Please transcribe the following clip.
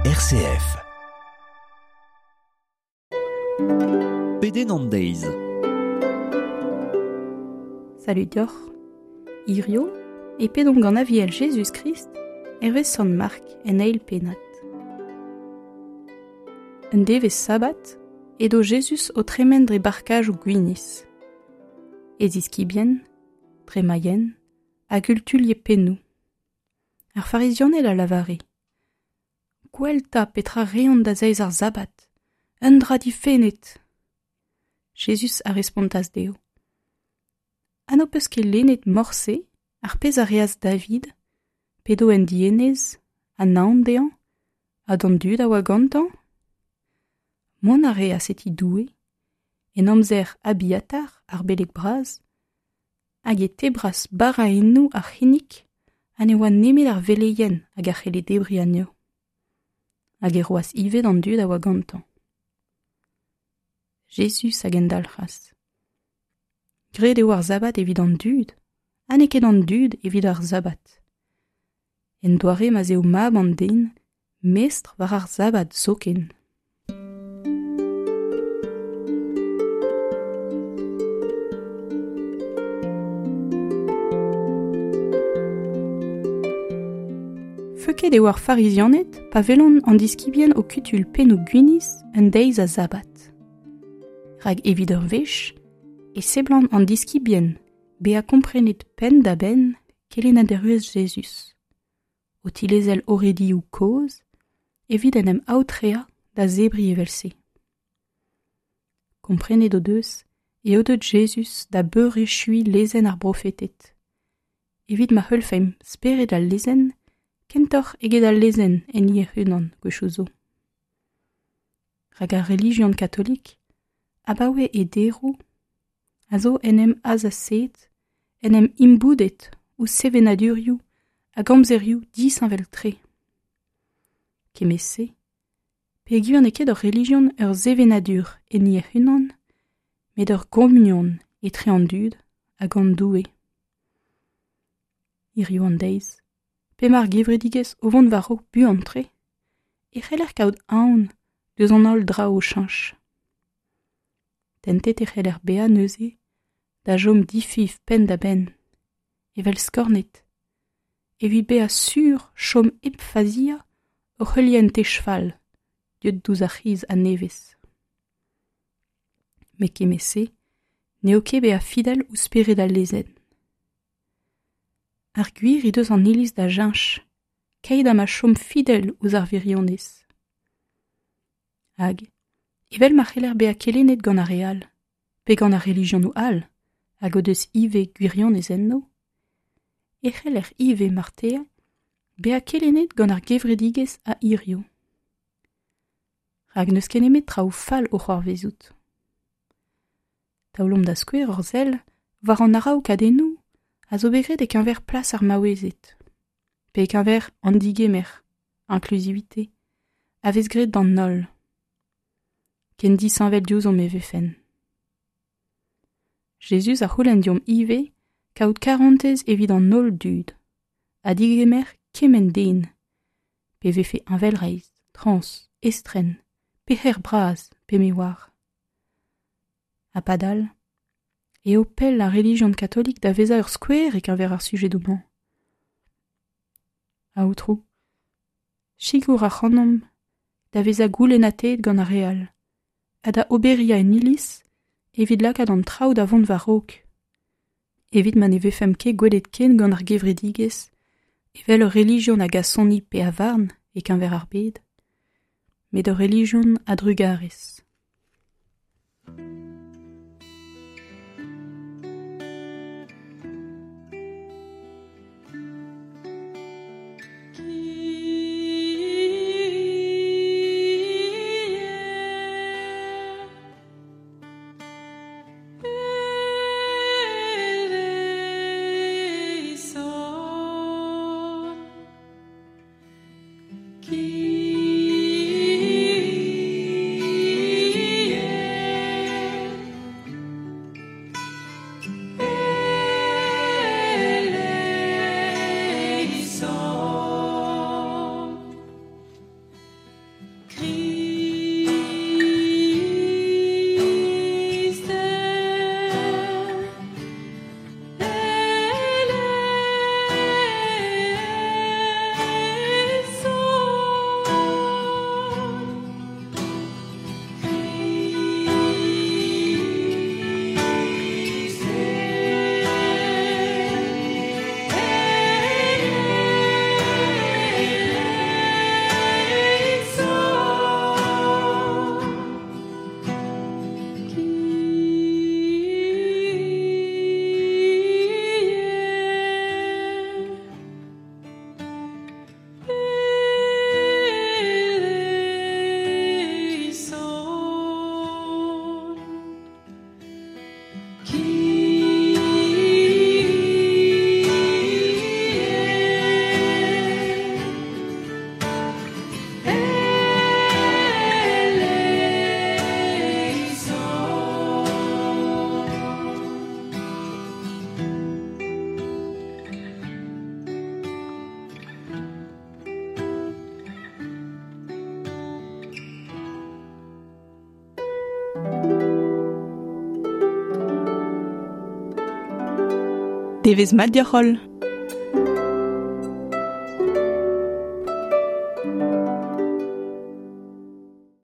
RCF. Pedenn an deiz. Salud deoc'h. Hirio e pedomp gant Aviel Jezuz-Krist hervez Sant Mark en eil pennad. Un devezh sabat edo Jezuz o tremen dre barkajoù gwinizh. E ziskibien, dre ma yen, a gultulie pennoù. Ar farizianed a lavare Gwell 'ta petra reont da zeiz ar sabbat, un dra difennet. Jezuz a respontas dezho Ha n'ho peus ket lennet morse ar pezh a reas David, p'edo en dienez, ha naon dezhañ, ha d'an dud a oa gantañ? Mont a reas e ti Doue, en amzer Abiatar, ar beleg bras, hag e tebras baraennoù ar c'hinnig ha ne oa nemet ar veleien hag a c'helle debriñ anezho. Hag e roas ivez d'an dud a oa gantañ. Jezuz a gendalc'has. Graet eo ar sabbat evit an dud, ha n'eo ket an dud evit ar sabbat. En doare ma'z eo mab an den mestr war ar sabbat zoken. Feuket eo ar farizianed pa welont an diskibien o kutul pennoù gwinizh un deiz a sabbat. Rak evit ur wech e seblant an diskibien bezañ komprenet penn-da-benn kelennaderezh Jezuz, o tilezel oredioù kozh evit en em aotreañ da zebriñ evel-se. Komprenet o deus eo deuet Jezuz da beurechuiñ lezenn ar brofeted, evit ma heulfemp spered al lezenn kentoc'h eget al lezenn enni hec'h-unan gwechoù zo. Rak ar relijion katolik, abaoe he deroù, a zo en em azasaet, en em imboudet ouzh sevenadurioù hag amzerioù disheñvel-tre. Kement-se, peogwir n'eo ket ur relijion ur sevenadur enni hec'h-unan, met ur gomunion etre an dud hag an Doue. Hiziv an deiz, p'emañ ar gevredigezh o vont war-raok buan-tre, e c'heller kaout aon deus an holl draoù o cheñch. Tentet e c'heller bezañ neuze da chom difiñv penn-da-benn, evel skornet, evit bezañ sur chom hep faziañ oc'h heuliañ un tech fall deuet diouzh ar c'hiz a-nevez. Met kement-se n'eo ket bezañ fidel ouzh spered al lezenn. Ar gwir he deus an Iliz da cheñch, keit ha ma chom fidel ouzh ar wirionez. Hag, evel ma c'heller bezañ kelennet gant ar re all, pe gant ar relijionoù all hag o deus ivez gwirionez enno, e c'heller ivez marteze bezañ kelennet gant ar gevredigezh a hiziv. Rak n'eus ket nemet traoù fall o c'hoarvezout. Taolomp da skouer hor sell war an araokadennoù a zo bet graet e-keñver plas ar maouezed, pe e-keñver an digemer, inclusivité, a vez graet d'an holl. Ken disheñvel diouzhomp e vefen. Jezuz a c'houlenn deomp ivez kaout karantez evit an holl dud ha digemer kement den, pe vefe heñvelreizh, trans, estren, pec'her bras pe me oar. Ha padal eo pell ar relijion katolik da vezañ ur skouer e-keñver ar sujedoù-mañ. Aotrou, sikour ac'hanomp da vezañ goulennateet gant ar re all ha da oberiañ en iliz evit lakaat an traoù da vont war-raok, evit ma ne vefemp ket gwelet ken gant ar gevredigezh evel ur relijion a gasoni pe a varn e-keñver ar bed, met ur relijion a drugarez. Devezh mat deoc'h holl!